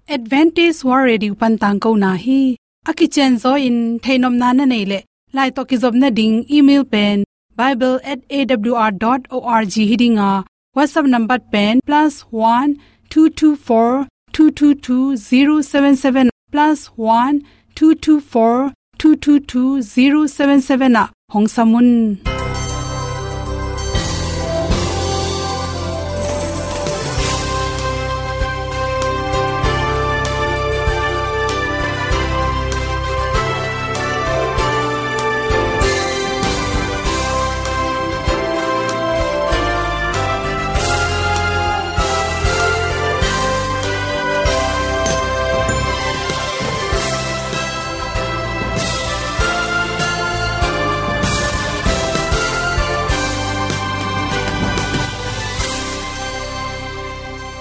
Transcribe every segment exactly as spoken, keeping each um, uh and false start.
Adventist World Radio pan tangkona hi. A kicianzaw in theihnopna na neih leh, lai tawh kizopna ding email pen bible at A W R dot org hi ding a, WhatsApp number pen plus one two two four two two two zero seven seven, plus one two two four two two two zero seven seven ah hong sam un.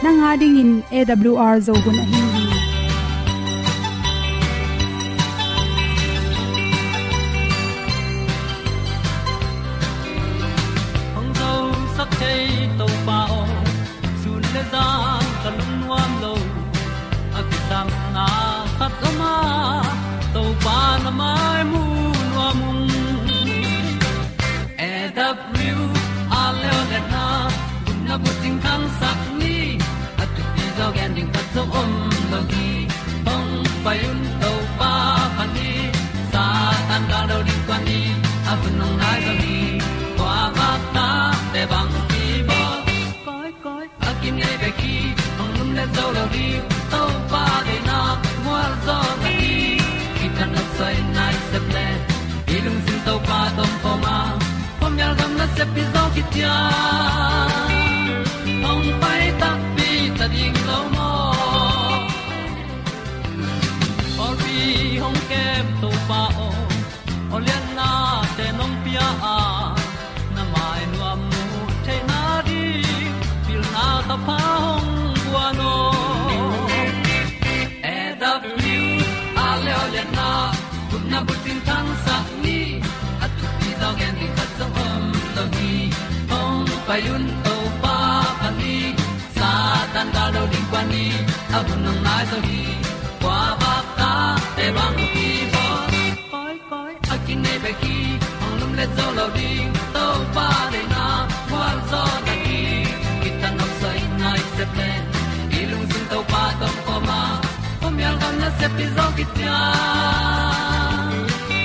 Nang a dingin A W R Zo hun ahi hi. Hong zosak thei Topa aw, sun le zan ka lungnuam lo. A kisapna khat om a, Topa na mai mu nuam ung. A W R leo le na, gupna bucing khangsak ni. A thupi zaw gen ding khat zong om lo hi. Hong pai un Topa pha ni. Satan gal do ding kua ni. A hun hong nai zaw hi. Kua bak ta te bang ki bawl. Koi, koi. A kinei bek hi, hong lum le zo lo ding, Topa deihna mual zaw na hi. Kitang a soi nai sep le, i lungsim Topa tawh om khawm a, khuamial gam nasep hi zaw kician. Hong pai takpi ta ding lo maw? Pawlpi hong kem Topa aw, aw liannate nong pia a, na mai nuam muh theihna ding, pilna thapha hong guan aw. A W R leo le na, gupna bucing khangsak ni. A thupi zaw gen ding khat zong om lo hi. Hong pai un Topa pha ni. Satan gal do ding kua ni. A hun hong nai zaw hi. Kua bak ta te bang ki bawl. Koi, koi. A kinei bek hi, hong lum le zo lo ding, Topa deihna mual zaw na hi. Kitang a soi nai sep le, i lungsim Topa tawh om khawm a, khuamial gam nasep hi zaw kician.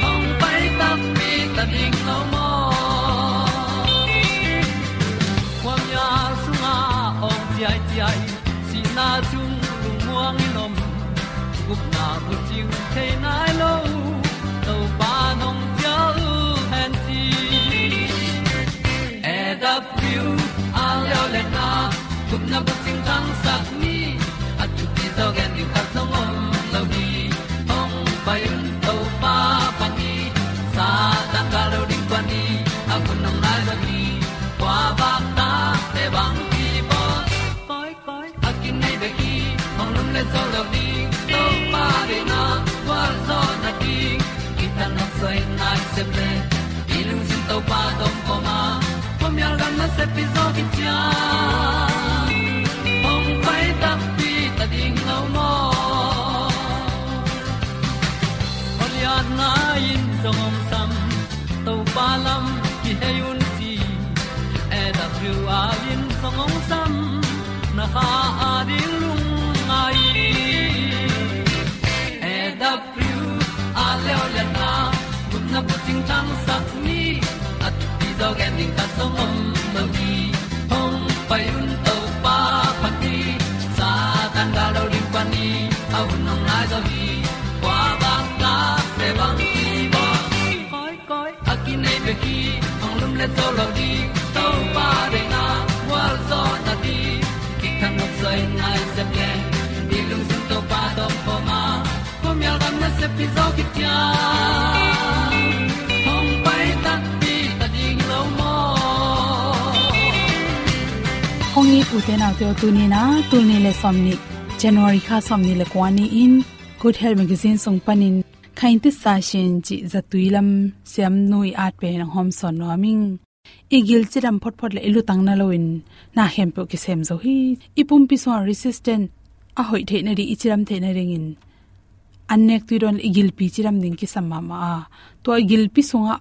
Hong pai takpi ta ding lo maw? Khuamial sungah awng ciaiciai, sihna sung lungmuang in om, gupna bucing thei nai lo, Topa nong cial hen ci. A W R leo le na, gupna bucing khangsak ni. A thupi zaw gen ding khat zong om lo hi. Hong pai un Topa pha ni. Satan gal do ding kua ni. A hun hong nai zaw hi. Kua bak ta te bang ki bawl. Koi, koi. A kinei bek hi, hong lum le zo lo ding, Topa deihna gual zaw na ding. Kitang a soi nai sep le, i lungsim Topa tawh om khawm a, khuamial gam nasep hi zaw kician. Hong pai takpi ta ding lo maw? Aw lianna in zong hong sam, Topa lam kihei un ci. A W R in zong hong sam, na kha a ding lungngai. A W R leo le na, gupna bucing khangsak ni. A thupi zaw gen ding khat zong om lo hi. Hong pai un Topa pha ni. Satan gal do ding kua ni. A hun hong nai zaw hi. Kua bak ta te bang ki bawl. Koi, koi. A kinei bek hi, hong lum le zo lo ding, Topa deihna gual zaw na ding. Kitang a soi nai sep le, i lungsim Topa tawh om khawm a, khuamial gam nasep hi zaw kician. Hong pai takpi ta ding lo maw? Hong it ute naute aw, tuni in a, tul nih le sawmnih, January kha sawmnih le kua ni-in, Good Health Magazine sung panin, Khaing Titsa Sin cih zatui lam siamnu i at pen hong hawmsawn nuam ing. I gil cidam photphot le i lutang na loin na khempeuh kisem zo hi. I pumpi sungah resistant a hoih theih nading, i cidam theih nadingin an nek tui dawn le i gilpi cidam ding kisam mahmah a. Tua i gilpi sungah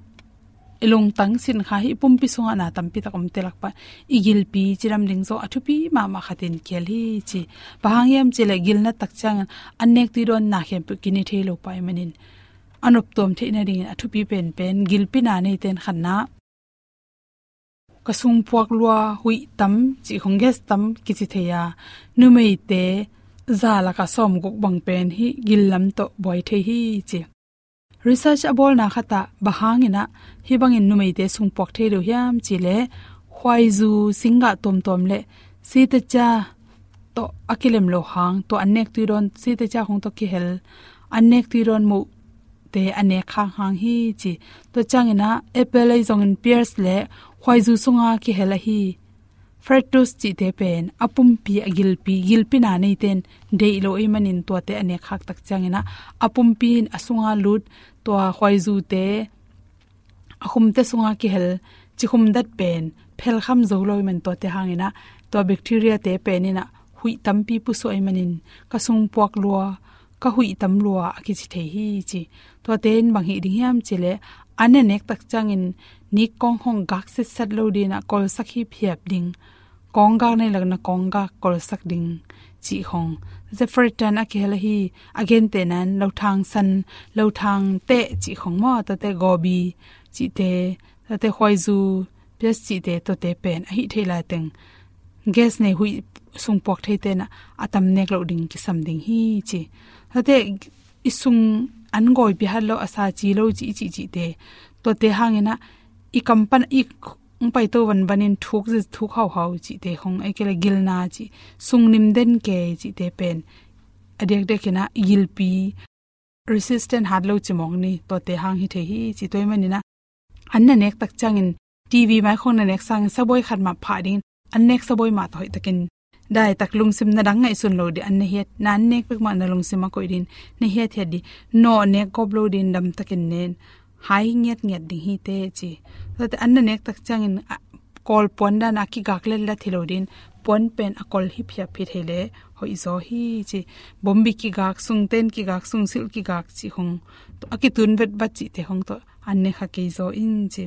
i lungtang sin kha hi, i pumpi sungah na tampi tak om te lak pan i gilpi cidam ding zong a thupi mahmah khatin kial hi ci. Bang hang hiam cih leh gilna tak ciangin an nek tui dawn na khempeuh kine thei lo pah ahih manin a noptuam theih nadingin a thupi penpen gilpi na neite'n khatna, ka sungpuak lua, huih tam cih khong, gas tam kici thei a, numeite za lakah sawmguk bang pen hih gil lam tawh buai thei hi ci. Research a bawlna khatah bang hangin ah hih bangin numeite sungpuak thei lo hiam cih leh, khuaizu, singgah tuamtuam le sitacia tawh a kilem loh hang, tua an nek tui dawn, sitacia khong tawh kihel an nek tui dawn muhte a nek khak hang hi ci. Tua ciangin ah apple ahi zongin, pears le khuaizu sunga kihel ahi fructose cihte pen a pumpi, a gilpi, gilpi na neite'n deih lo ahih manin tuate a nek khak tak ciangin ah a pumpi in a sunga lut, tua khuaizute, a khumte sunga kihel cikhum dat pen phelkham zo lo ahih manin, tuate hangin ah tua bacteria te pen in ah huih tampi pusuah ahih manin ka sungpuak lua, ka huih tam lua a kici thei hi ci. Tuate in bang hih ding hiam cih leh, an a nek tak ciangin nikkawng khong gak sitsat lo dingin ah kolsak hiphiap ding, kawng gak nei lak na kawng gak kolsak ding cih khong. Zefretan a kihel ahi, a gentehna in lothang san, lothang teh cih khong maw, tuate gobi cihte, tuate khuaizu, pears cihte, tuate pen a hih theih lai teng gas nei, huih sungpuak theite'n ah a tam nek loh ding kisam ding hi ci. Tuate i sung an gawipi hat lo, a sa ci lo cih, i cih cihte, tuate hangin ah i kam pan i hong paito vanvanin thuk zi, thuk hauhau cihte khong, ahih kei leh gilna cih, sung nim den kei cihte pen a diakdiakin ah i gilpi resistant hat lo ci mawk ni, tuate hang hi thei hi ci. Tua ahih manin ah an na nek tak ciangin, TV mai khong na nek sangin sabuai khat mah phah dingin, an nek sabuai mah tawh hoihtakin daitak, lungsim na dang ngaihsun lo ding, an na hiat, na an nek bek mah na lungsim a koih dingin na hiathiat ding, nawh nek gawp lo dingin damtakin nen, hai ngiatngiat ding hi teh ci. Tuate an na nek tak ciangin, a, kawl puan dan a kigak letlet hi lo dingin, puan pen a kawl hiphiap hi thei leh hoih zaw hi ci. Bombi kigak, sungten kigak, sungsilh kigak cih khong, a kitun vetvat cihte khong tawh an ne kha kei zaw in ci.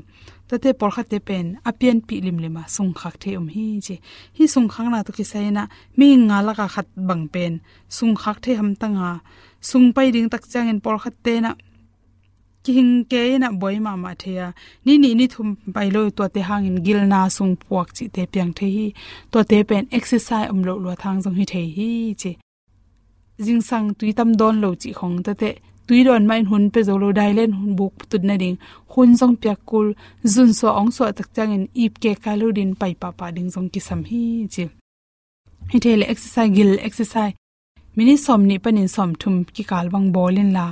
Tuate pawlkhatte pen a pianpih limlim a sungkhak thei om hi ci. Hih sungkhakna tawh kisai in ah mihing nga lakah khat bang pen sungkhak thei hamtang a, sung pai ding tak ciangin pawlkhatte'n ah kihing kei in ah buai mahmah thei a, ni nih ni thum pai lo, tuate hangin gilna, sungpuak cihte piang thei hi. Tuate pen exercise om loh luat hang zong hi thei hi ci. Zingsang tui tam dawn lo cih khong, tuate tui dawn mah in hun pia zo lo, dailen hun buk tut nading hun zong piak kul, zunsuah ong suah tak ciangin ip kek kai lo dingin pai pahpah ding zong kisam hi ci. Hi thei leh exercise, gil exercise, minute sawmnih panin sawmthum kikal bang bawl inla,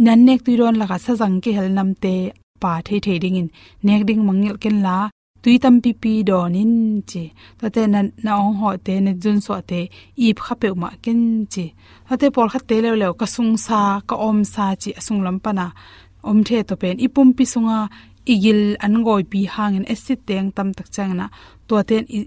na an nek tui dawn lakah sazang kihel namte pha theithei dingin nek ding mangngilh kenla, tui tampipi dawn in ci. Tuate na, na ong hawhte, na zunsuahte ip kha peuhmah ken ci. Tuate pawlkhatte leuleu, ka sungsa, ka awmsa ci, a sunglam pan a om thei, tua pen i pumpi sunga i gil an gawipi hangin acid teng tam tak ciangin ah tuate in i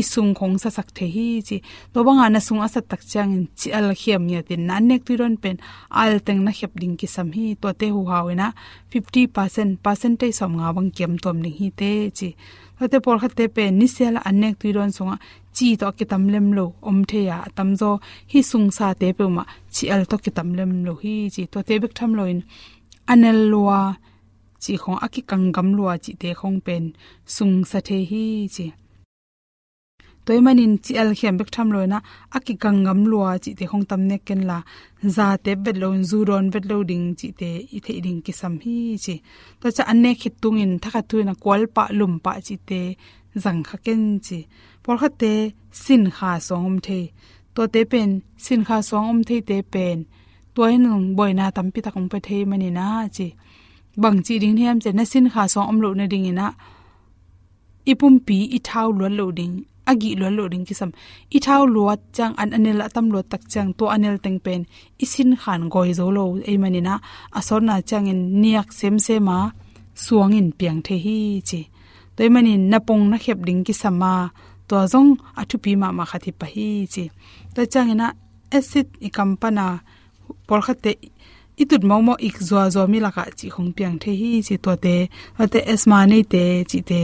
i sung khong sasak thei hi ci. Tua banga na sung a sat tak ciangin cial khiam ngiatin na an nek tui dawn pen al teng na khep ding kisam hi. Tuate huhau in ah fifty percent, percentage sawmnga bang kiam tuam ding hi teh ci. Tuate pawlkhatte pen nisial a an nek tui dawn sungah ci tawh a kitam lem lo om thei a, a tamzaw hih sungsate peuhmah cial tawh kitam lem lo hi ci. Tuate bek tham loin a nel lua cih khong, a kikanggam lua cihte khong pen sungsa thei hi ci. Tua ahih manin cial khiam bek tham loin ah a kikanggam lua cihte khong tam nek kenla, za tep vet loin zu dawn vet lo ding cihte i theih ding kisam hi ci. Tua ciang an nek khit tungin thakhat thu in a kual pah, lum pah cihte zang kha ken ci. Pawlkhatte sinkha suang om thei. Tuate pen sinkha suang om theite pen tua in buaina tampi tak hong pia thei manin ah ci. Bang ci ding hiam ci leh, na sinkha suang om loh nadingin ah i pumpi i thau luat loh ding, a gih luat loh ding kisam. I thau luat ciang, an a nel a tam luat tak ciang, tua a nel teng pen i sinkhan gawi zo lo ahih manin ah, a sawtna ciangin niak semsem a suangin piang thei hi ci. Tua ahih manin na pong na khep ding kisam a, tua zong a thupi mahmah khat hi pah hi ci. Tua ciangin ah acid i kam pana pawlkhatte i tut mawkmawk ik zuazua mi lakah cih khong piang thei hi ci tuate, tuate asthma neite cihte.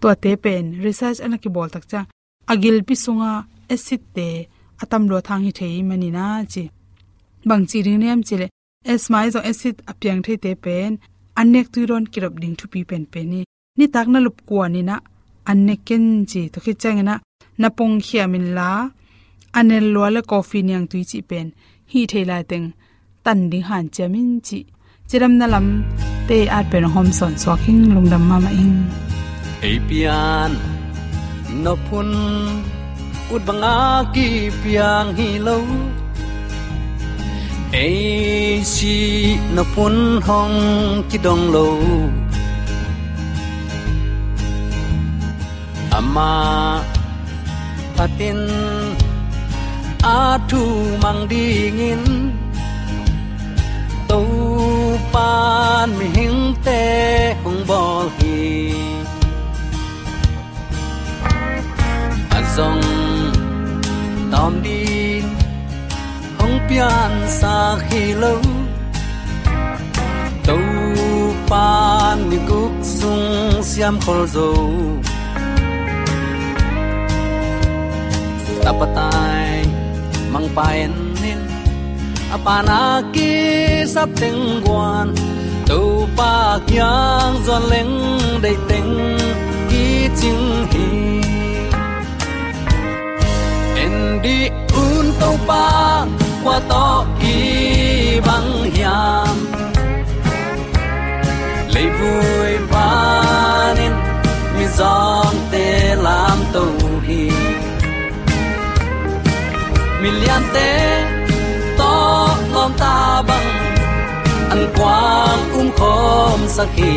Tuate pen research ana kibawl tak ciang a gilpi sunga acidte a tam lua thang hi thei manin a ci. Bang ci ding niam cileh asthma i zong acid a piang theite pen an nek tui dawn kidop ding thupi penpen hi. Nitak na lup kuan inah an nek ken ci, tua khit cianginah na pongkhiam inla a nel lua le coffee niangtui cih pen hih thei laiteng tan ding hanciam in cih. Cidamna lamte at pen hong hawm sawnsuak hing, lungdam mahmah ing. Ei pian nop hun ut banga kipiang hi lo. Ei sih nop hun hong kidong lo. Amah phatin a thu mang dingin Topan mihingte hong bawl hi. A zong tawm ding hong piansak hi lo. Topan ni guk sung siam khol zo. Tapatai mangpa en in a pana kisap teng guan, Topa kiang zuan leng deih teng kicing hi. En dih un Topa kua tawh kibang hiam? Leivui panin mizawngte lamto hi. Miliante tawh lawmta bang an kuang umkhawmsak hi.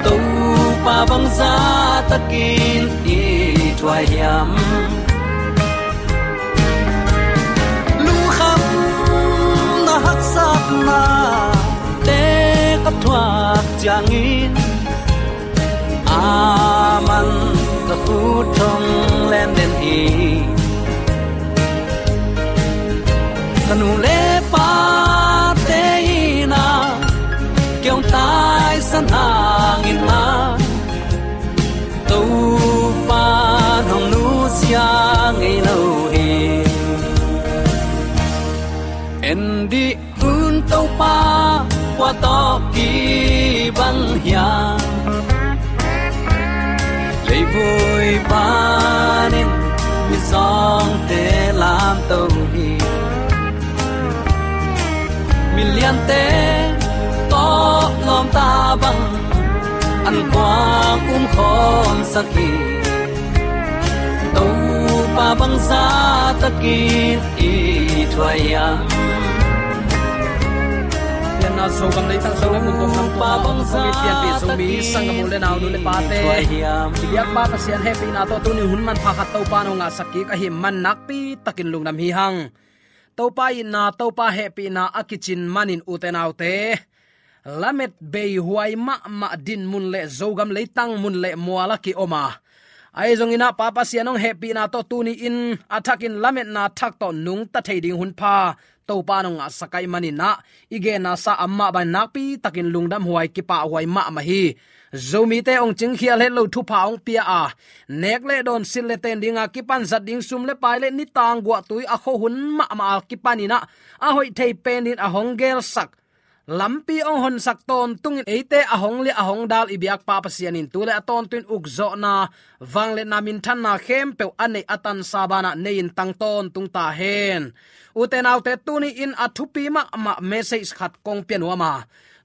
Topa bangzah takin i thuai hiam? Lungkhamna haksatna te ka thuak ciangin aman ka khut thong len den hi. Ka nu le pate in a kiong taisan hangin a Topa hong nusia ngei lo hi. En dih un Topa kua tawh kibang hiam? Leivui panin mizawngte lamto hi. Miliante tawh lawmta bang an kuang umkhawmsak hi. Topa bangzah takin i thuai hiam? Pianna Zogam leitang Zogam mun kong lam Topa bangzah takin i thuai hiam? Pianpi Zomi sanggam u le nau, nu le pate, i biakpa Pasian hehpihna tawh tuni hun manpha khat Topa nong ngahsak kik ahih man nakpi takin lungdam hi hang. Topa itna, Topa hehpihna a kicin manin ute naute, lamet beihuai mahmah din mun le Zogam leitang mun le mual a kiom a, ahi zongin ah Pa Pasian hong hehpihna tawh tuni-in a thakin lametna thak tawh nungta thei ding hun pha Topa nong ngahsak ahih manin ah i genna sa amah bang nakpi takin lungdam huai, kipahhuai mahmah hi. Zomite hong cingkhial het lo thupha hong pia a, nek le dawn, silh le ten dinga kipan zat ding sum le pai le nitang guahtui a khuahun mahmah a kipanin ah a hoih thei penin a hong gelsak, lampi hong honsak tawntungin eite a hong liah a hong dal i biakpa Pasian in tu le a tawntung ukzawhna, vangliatna, minthanna khempeuh a neih a tansa banah nei-in tang tawntung ta hen. Ute naute, tuni-in a thupi mahmah message khat kong pia nuam a,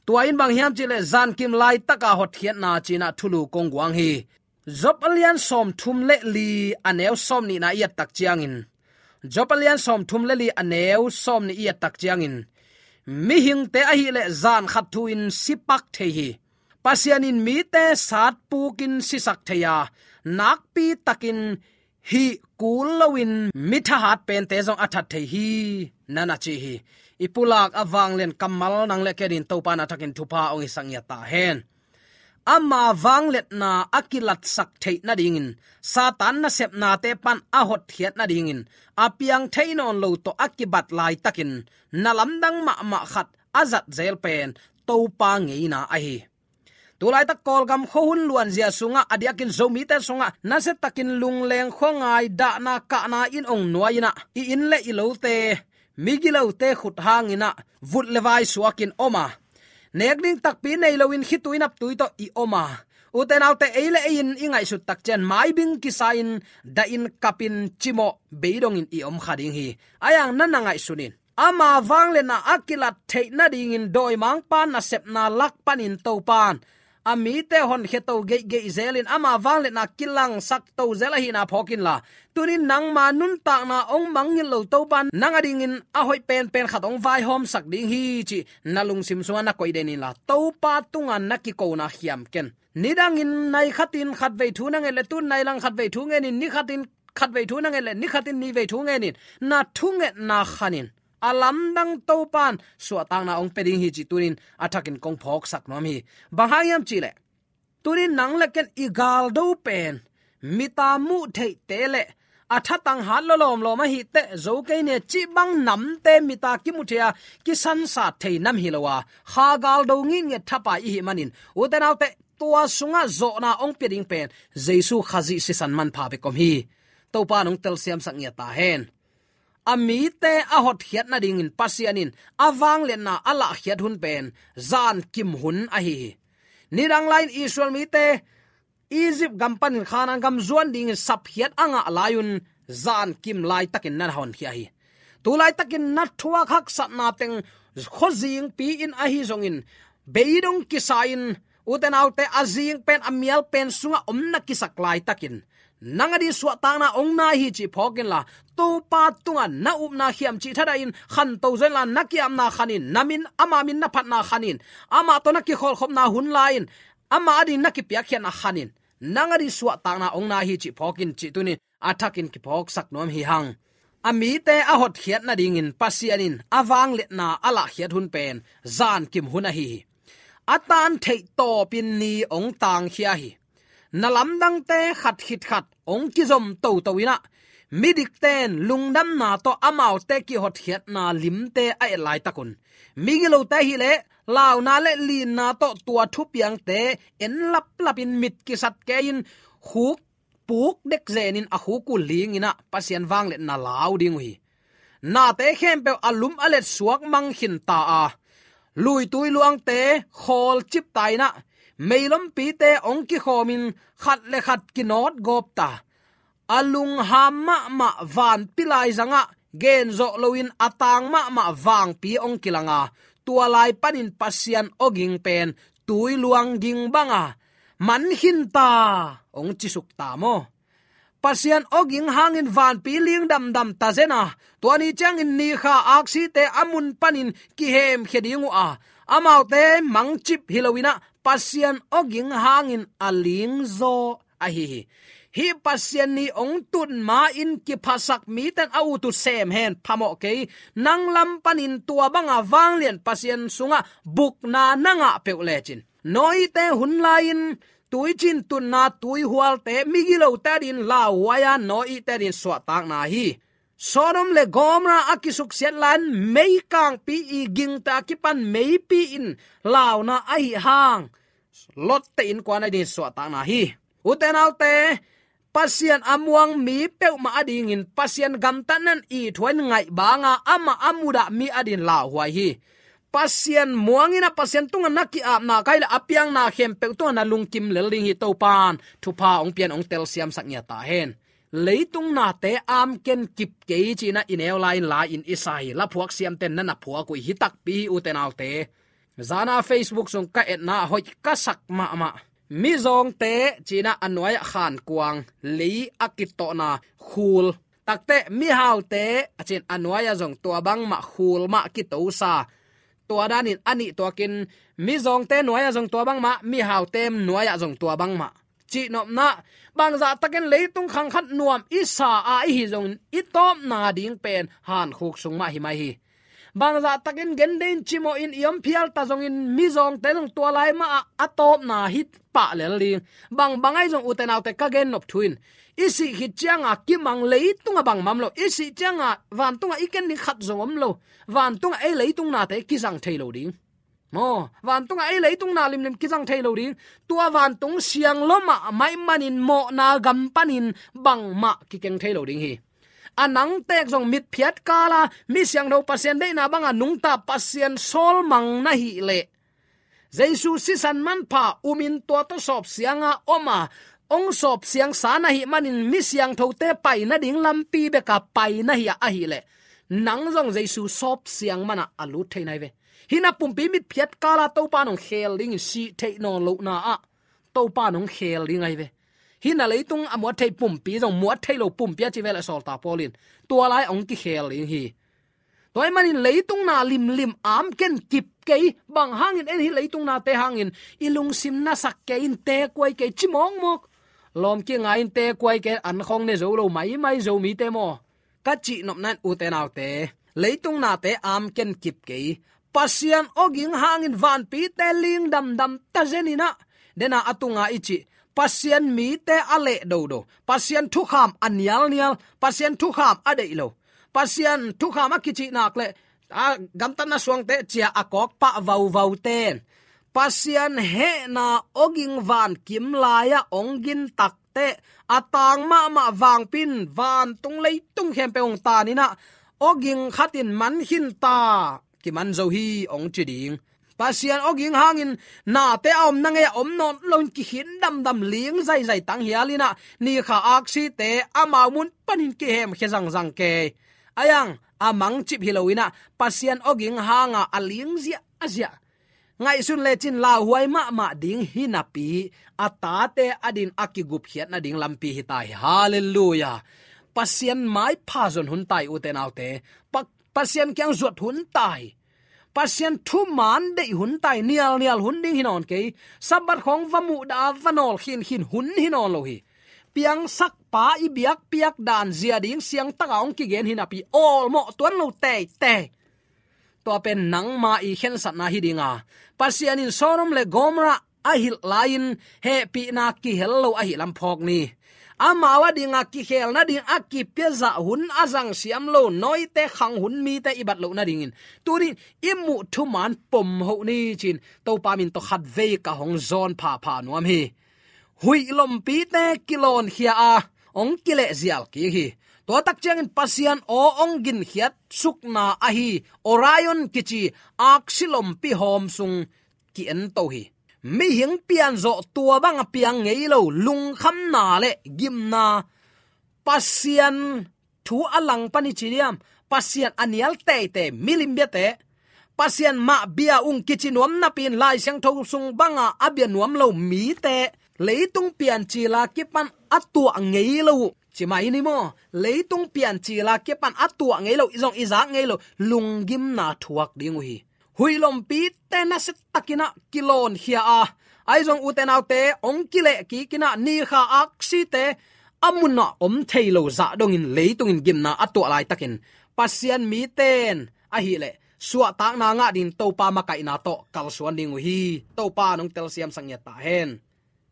tua in bang hiam cihleh zankim laitaka hotkhiatna ci-in ah thulu kong guang hi. Job a lian sawmthum le li a neu sawmnihna i et tak ciangin, Job a lian sawmthum le li a neu sawmnih i et tak ciangin, mihingte ahileh zan khat thu-in si pak thei hi. Pasian in mite satpukin sisak thei a, nakpi takin hih kul loin mi thahat pente zong a that thei hi, na na ci hi. I pulak a vanglian kammal nang le ken in Topa na thakin thupha hong hisak ngiat ta hen. ama vangliatna a kilatsak theih nadingin, Satan nasepnate pan a hotkhiat nadingin, a piang thei nawn lo tawh a kibat laitakin, na lamdang mahmah khat a zat zel pen Topa ngeina ahi. Tulaitak Kawlgam khuahun luanzia sungah, a diakin Zomite sungah nasiatakin lungleng khuangai dahna kahna in ong nuai-in ah, i inn le i lote migilote khut hangin ah vut le vai suakin om a, nek ding takpi nei loin khitui naptui tawh i om a, ute naute, ei le ei in i ngaihsut tak ciang maibing kisa-in, dahin kapin, cimawh beidongin i om kha ding hi. Ahi hang na na ngaihsun in, ama vangliatna a kilat theih nadingin dawimangpa nasepna lak panin Topan a mite honkhia to geihgeih zelin ama vangliatna kilangsak to zel ahihna phawk inla, tunin nangma nuntakna ong mangngilh lo Topan nang adingin a hoih penpen khat ong vaihawmsak ding hi cih na lungsim sungah na koih den inla, Topa tungah na kikona khiam ken. Nidangin nai khatin khatvei thu na nget le, tun nai lang khatvei thu ngenin, ni khatin khatvei thu na nget le, ni khatin nihvei thu ngenin, na thungetna khanin, a lamdang Topan suahtakna ong pia ding hi cih tunin a thakin kong phawksak nuam hi. Bang hang hiam cih leh, tunin nang le ken i galdo pen mita muh theihte le a thatang hat lo lawmlawm ahi teh zo kei ni cih bang namte mita kimu thei a, kisansat thei nam hi lo a, kha galdo ngitnget thapai i hih manin, ute naute, tua sungah zawhna ong pia ding pen Jesu Khazih sisan manpha bek om hi. Topa nong telsiamsak ngiat ta hen. A mite a hotkhiat nadingin Pasian in a vangliatna a lahkhiat hun pen zankim hun ahi hi. Nidang lai-in Israel mite Egypt gam panin Khanaan gam zuan dingin sapkhiat a ngah lai-un zankim laitakin na honkhia hi. Tulaitakin na thuak haksatna teng khuazingpi in ahi zongin, beidong kisa-in, ute naute, a zing pen a mial pen sungah om na kisak laitakin, nang ading suahtakna ong nai hi cih phawk inla, Topa tungah na upna khiam cih thadahin khanto zenla, na ki-apna khanin, na min, ama min na phatna khanin, amah tawh na kikholhkhopna hun lai-in, ama ading na kipiakkhiatna khanin, nang ading suahtakna ong nai hi cih phawk in cih tunin a thakin kiphawksak nuam hi hang. A mite a hotkhiat nadingin Pasian in a vangliatna a lahkhiat hun pen zankim hun ahi hi. A tan theih tawpin ni ong tangkhia hi. Na lamdangte khat khit khat ong kizom toto in ah, midikten lungdamna tawh amaute kihotkhiatna limte a et laitak un, migilote ahih leh launa le linna tawh tua thupiangte en laplapin mit kisat kei-in khuk puk dek zenin a khuk uh lingin ah Pasian vangliatna lau ding uh hi. Nate khempeuh a lum a let suak mang khin ta a, luitui luangte khawl cip ta in ah, meilompite ong kikhawmin khat le khat kinawt gawp ta. A lungham mahmah vanpi laizangah genzawh loin a tang mahmah vangpi ong kilang a, tua lai panin Pasian awging pen tui luang ging banga man khin ta, ong cisuk ta maw? Pasian awging hangin vanpi ling damdam ta zen a, tua ni ciangin nikha aksite a mun panin kihemkhia ding uh a, amaute mangcip hi loin ah Pasian awging hangin a lingzaw ahi hi. Hih Pasian ni ong tun ma-in kiphasak miten a ut uh sem hen, phamawh kei. Nang lam panin tua banga vanglian Pasian sungah bukna na ngah peuh lecin, Noah-te hun lai-in tuicin tunna tuihualte migilote adingin lauhuai a, Noah-te adingin suahtakna hi. Sodom le Gomorrah a kisuksiat lai-in meikangpi i gingta kipan meipi in launa ahi hang, Lot-te innkuan adingin suahtakna hi. Ute naute, Pasian a muang mi peuhmah adingin Pasian gamtatna in ithuain ngaih banga amah a mudah mi adingin lauhuai hi. Pasian muangin ah Pasian tungah na ki-apna kai le a piangna khempeuh tungah na lungkim lel ding hi. Topan thupha ong pian ong telsiamsak ngiat ta hen. Leitung nate amken kip kei ci-in ah i neu lai-in la-in i sa hi. Laphuak siamten na na phuak uh hi takpi hi, ute naute. Zana Facebook sung ka etna hoih ka sak mahmah. Mizawngte ci-in ah a nuai-ah khankuang, lei a kitawhna khul. Takte mihaute a ci-in a nuai-ah zong tua bangmah khul mah kitosa. Tua danin a nih tuakin mizawngte nuai-ah zong tua bangmah, mihaute nuai-ah zong tua bangmah cihnopna, bangzahtakin leitung khang khat nuam i sa a i hi zongin i tawpna ding pen hankhuk sung mah hi mai hi. Bangzah takin gen ding cimawhin i om phial ta zongin mizawngte zong tua lai mah ah a tawpna hi pah lel ding. Bang bang ahi zong ute naute ka gen nop thu in, i sih khit cianga kimang leitungah bangmah om lo. I sih cianga vantungah i ken ding khat zong om lo. Vantungah ei leitung nate kizang thei lo ding. Maw, vantungah ei leitung na limlim kizang thei lo ding. Tua vantung siang lua mahmah ahih manin mawhna gam panin bangmah kikeng thei lo ding hi. A nang tek zong mitphiat kala mi siangtho Pasian deihna banga nungta Pasian sawlmang na hih leh, Jesu sisan manpha umin tua tawh sawpsianga om a, hong sawpsiangsa na hih manin mi siangthote pai nading lampi beka pai na hi a, ahih leh nang zong Jesu sawpsiang manah a lut thei na hi ve. Hih na pumpi mitphiat kala Topa in hong khel dingin, sih theih nawn lohna ah Topa in hong khel ding ahi ve. Hih na leitung a muat thei pumpi zong muat thei lo pumpi a ci ve leh sawltak Paul in, tua lai hong kikhel ding hi. Tua ahih manin leitung na limlim amken kip kei. Bang hangin? En hih leitung nate hangin i lungsim nasak kei in, tekuai kei ci mawkmawk. Lawm kingai in, tekuai kei in, an khawng ne zo lo maimai Zomite maw, ka cih nopna in ute naute, leitung nate amken kip kei. Pasian awging hangin vanpite ling damdam ta zen in ah, dena a tunga i cih, Pasian mite a leh dodo, Pasian thukham a nialnial, Pasian thukham a deih lo, Pasian thukham a kicih nak leh a gamtatna suangte cia a kawk pah vauvaute in Pasian hehna awging vankim lai-ah hong gintak teh, a tang mahmah vangpi in vantung leitung khempeuh hong tan in ah, awging khat in man khin ta, kiman zo hi hong ci ding. Pasian awging hangin nate a omna ngei-ah om nawn loin kikhin damdam, ling zaizai tanghial in ah, ni kha aksite amau mun panin kihemkhia zangzang kei. A iang a mangcip hi lo in ah, Pasian awging hanga a ling ziahziah, ngaihsun lecin lauhuai mahmah ding hi napi, a tate adin a kigupkhiat nading lampi hi ta hi. Halleluiah. Pasian maipha zon hun ta hi ute naute. Pa-, Pasian kiang zuat hun ta hi. Pasian thuman deih hun ta hi. Nialnial hun ding hi nawn kei. Sabbath khawng va muhdah a, va nawl khinkhin hun hi nawn lo hi. Piangsakpa i biakpiak dan zia ding siangtaka hong kigen hi napi, awlmawh tuan lo teitei. Tua pen nangma i khensatna hi dinga, Pasian in Sodom le Gomorrah a hilh lai-in hehpihna kihel lo ahih lam phawk ni. Amau adinga kikhelna ding a kipiazah hun a zangsiam lo, nawite khang hun mite i bat loh nadingin tuni-in i muh thuman pom hoh ni ci-in Topa min tawh khatvei ka hong zawn phapha nuam hi. Huih lompite kilawnkhia a, hong kilehzial kik hi. Tua tak ciangin Pasian aw hong ginkhiat sukna ahi Orion kici aksi lompi hawm sung ki-ento hi. Mihing pianzawh tua banga piang ngei lo lungkhamna le gimna, Pasian thu a langpan i ci diam, Pasian a nial teitei milim biate, Pasian mah bia ung kici nuam napi-in Lai Siangtho sung banga a bia nuam lo mite, leitung piancila kipan a tuah ngei lo uh, ci mai ni maw? Leitung piancila kipan a tuah ngei lo, i zong i zak ngei lo lunggimna thuak ding uh hi. Huih lompite nasia takin ah kilawnkhia a, ahi zong ute naute hong kileh kik in ah, ni kha aksite a munah om thei lo zah dongin leitungin gimna a tuah laitakin Pasian mite in ahih leh suahtakna ngah dingin Topa makaihna tawh kalsuan ding uh hi. Topa in hong telsiamsak ngiat ta hen.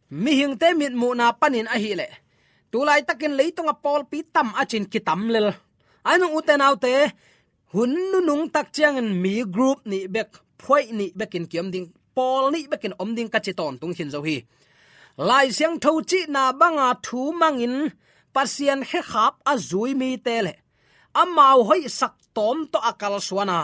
Mihingte mitmuhna panin ahih leh, tu laitakin leitunga pawlpi tam a ci-in kitam lel. Ahi zong ute naute, hun nunung tak ciangin mi group nih bek, phuaih nih bekin kiom ding, pawl nih bekin om ding ka ci tawntung khin zo hi. Lai Siangtho cihna banga thu mangin Pasian khekhap a zui mite le amau hoihsak tawm tawh a kalsuan a,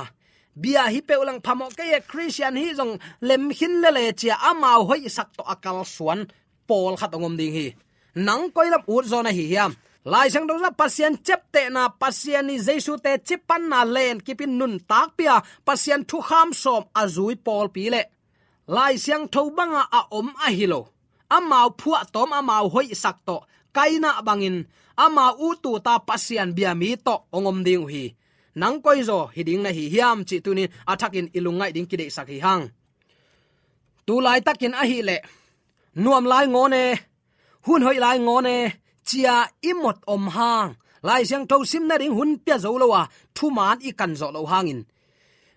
bia hi peuh leng phamawh kei e, Khristian hi zong lemkhin lele ci-a amau hoihsak tawh a kalsuan pawlkhat hong om ding hi. Nang koi lam utzaw na hi hiam? Lai Siangtho sungah Pasian ciaptehna, Pasian in Jesu teci panna lenkipin nuntakpih a, Pasian thukham sawm a zui pawlpi le Lai Siangtho banga a om ahi lo, amau phuahtawm, amau hoihsak tawh, Kaina bangin amau ut ut a Pasian bia mi tawh hong om ding uh hi. Nang koizaw hi ding na hi hiam cih tuni-in a thakin i lungngaih ding kideihsak hi hang. Tu laitakin ahih leh, nuam lai ngawn e, hun hoih lai ngawn e, ci-a i mot om hang, Lai Siangtho sim nading hun pia zo lo a, thuman i kan zawh loh hangin,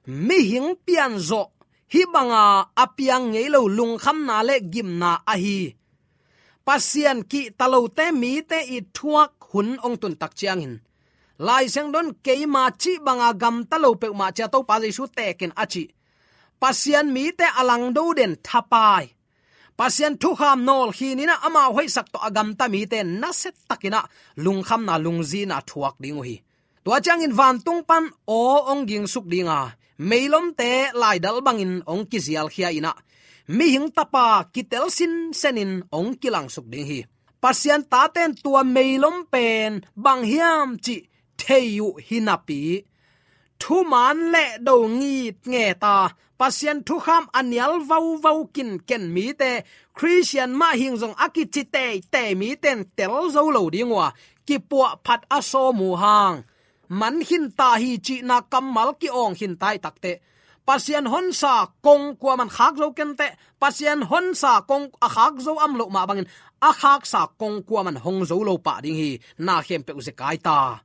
mihing pianzawh hih banga a piang ngei lo lungkhamna le gimna ahi Pasian kihta lote mite i thuak hun hong tun tak ciangin, Lai Siangtho in keima cih banga gamta lo peuhmah ci-a Topa Jesu tekin a cih Pasian mite a langdo den thapai, Pasian thukham nawlkhin in ah amau hoihsak tawh a gamta mite nasia takin ah lungkhamna lungzinna thuak ding uh hi. Tua ciangin vantung pan aw hong gingsuk ding a, meilomte laidal bangin hong kizialkhia in ah, mihing tapa kitel sinsenin hong kilangsuk ding hi. Pasian taten tua meilom pen bang hiam cih thei uh hi napi, thuman le do ngitnget a, Pasian thukham a nial vauvau kinken mite, Khristian mah hing zong a kici teitei mite in tel zo lo ding uh a, kipuahphat a sawm uh hang, man khin ta hi cihna kammal ki-awng khin ta hi takteh, Pasian honsa kong kuaman khak zo kenteh, Pasian honsa kong a khak zo om loh mah bangin a khaksa kong kuaman hong zo lo pah ding hi. Na khempeuh zekai ta.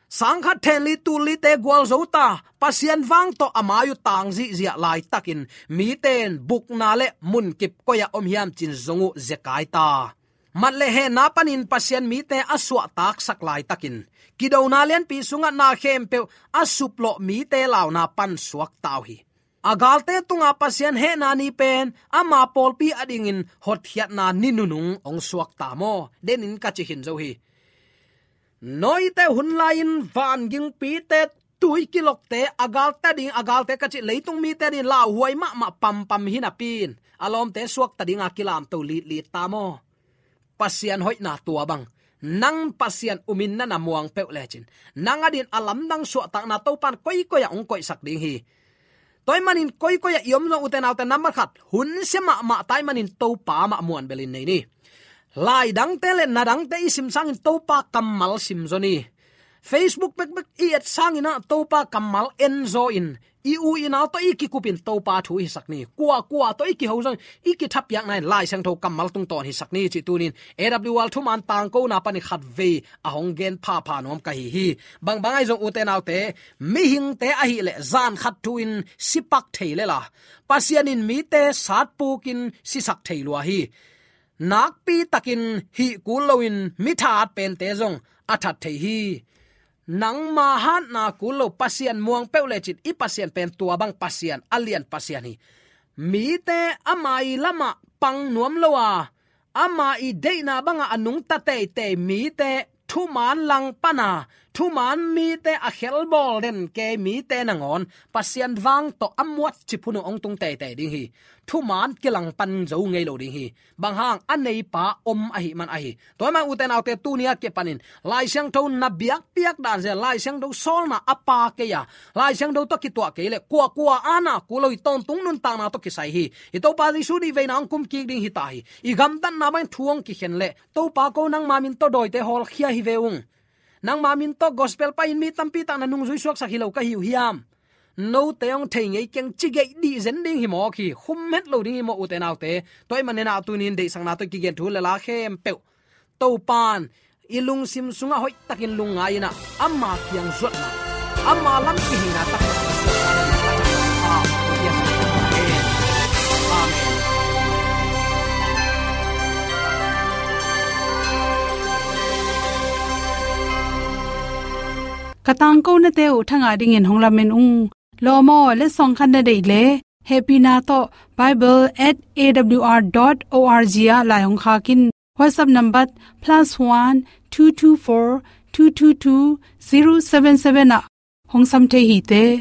Sangkhat thenli tullite gualzo ta, Pasian vang tawh a mai uh tang zihziah laitakin mite in bukna le munkip koi-ah om hiam ci-in zong uh zekai ta. Mat le hehna panin Pasian mite a suahtaksak laitakin, kidona lianpi sungah na khempeuh a suplawh mite launa pan suak ta uh hi. A galte tunga Pasian hehna ni pen ama pawlpi adingin hotkhiatna ni nunung hong suak ta maw? Denin ka ci khin zo hi. Noah-te hun lai-in vangingpite, tuikilokte, a galte ading, a galte ka cih leitung mite adingin lauhuai mahmah pampam hi napi-in, a lawmte suakta dinga kilamto litlit ta maw? Pasian hoihna tua bang, nang Pasian umin na na muang peuh lecin, nang adingin a lamdang suahtakna Topa in koikoi-ah hong koihsak ding hi. Tua ahih manin koikoi-ah i om zong, ute naute, nambat khat, hun sia mahmah ta ahih manin Topa mah muanbelin nei ni. Lai dangte le na dangte i sim sangin Topa kammal simzaw ni. Facebook bekbek i et sangin ah Topa kammal enzaw in, i u i nau tawh i kikupin Topa thu i hisak ni. Kuakua tawh i kiho zongin i kithapiakna in Lai Siangtho kammal tungtawn hisak ni cih tunin A W R Thuman Tangkona panin khatvei a hong gen phapha nuam ka hi hi. Bangbang ahi zong, ute naute, mihingte ahih leh zan khat thu-in si pak thei lel a, Pasian in mite satpukin sisak thei lua hi. Nakpitakin hih kul loin mi thahat pente zong a that thei hi. Nangma hatna kul lo, Pasian muang peuh lecin i Pasian pen tua bang Pasian, a lian Pasian hi. Mite ama ii lamah pang nuam lo a, ama ii deihna bangah a nungta teitei mite, thuman langpana, thuman mite, a khelbawl den kei mite nangawn Pasian vang tawh a muat cip hun uh hong tung teitei ding hi. Thuman kilangpan zo ngei lo ding hi. Bang hang, a neipa om ahih man ahi. Tua ahih man, ute naute, tuni-a kipanin Lai Siangtho na biakpiak dan zen, Lai Siangtho sawlna a pha kei a, Lai Siangtho tawh kituak kei leh kuakua a na kul lo hi. Tawntung nuntakna tawh kisai hi. I Topa Jesu nih veina hong kumkik ding hi ta hi. I gamtatna bangin thu hong kikhen leh, Topa, ko nangma min tawh dawite hawlkhia hi ve ung. Nangma min tawh gospel pai-in mi tampi tak na nungzui suaksak hi lo ka hi uh hiam? Note hong thei ngei keng, ci geih dih zen ding hi mawk hi. Khum het lo ding hi maw, ute naute? Tua ahih manin ah tuni-in deihsakna tawh kigen thu le la khempeuh Topa in i lungsim sungah hoihtakin lungngai-in ah, ama kiang zuatna, ama lam kiheina taktak. Amen. Ka tangkonate uh thangah dingin hong lamen ung. Lawm aw, letsong khat na deih leh, hehpihna tawh bible at A W R dot O R G ah lai hong khak in. WhatsApp number plus one two two four two two two zero seven seven ah hong sam thei hi te.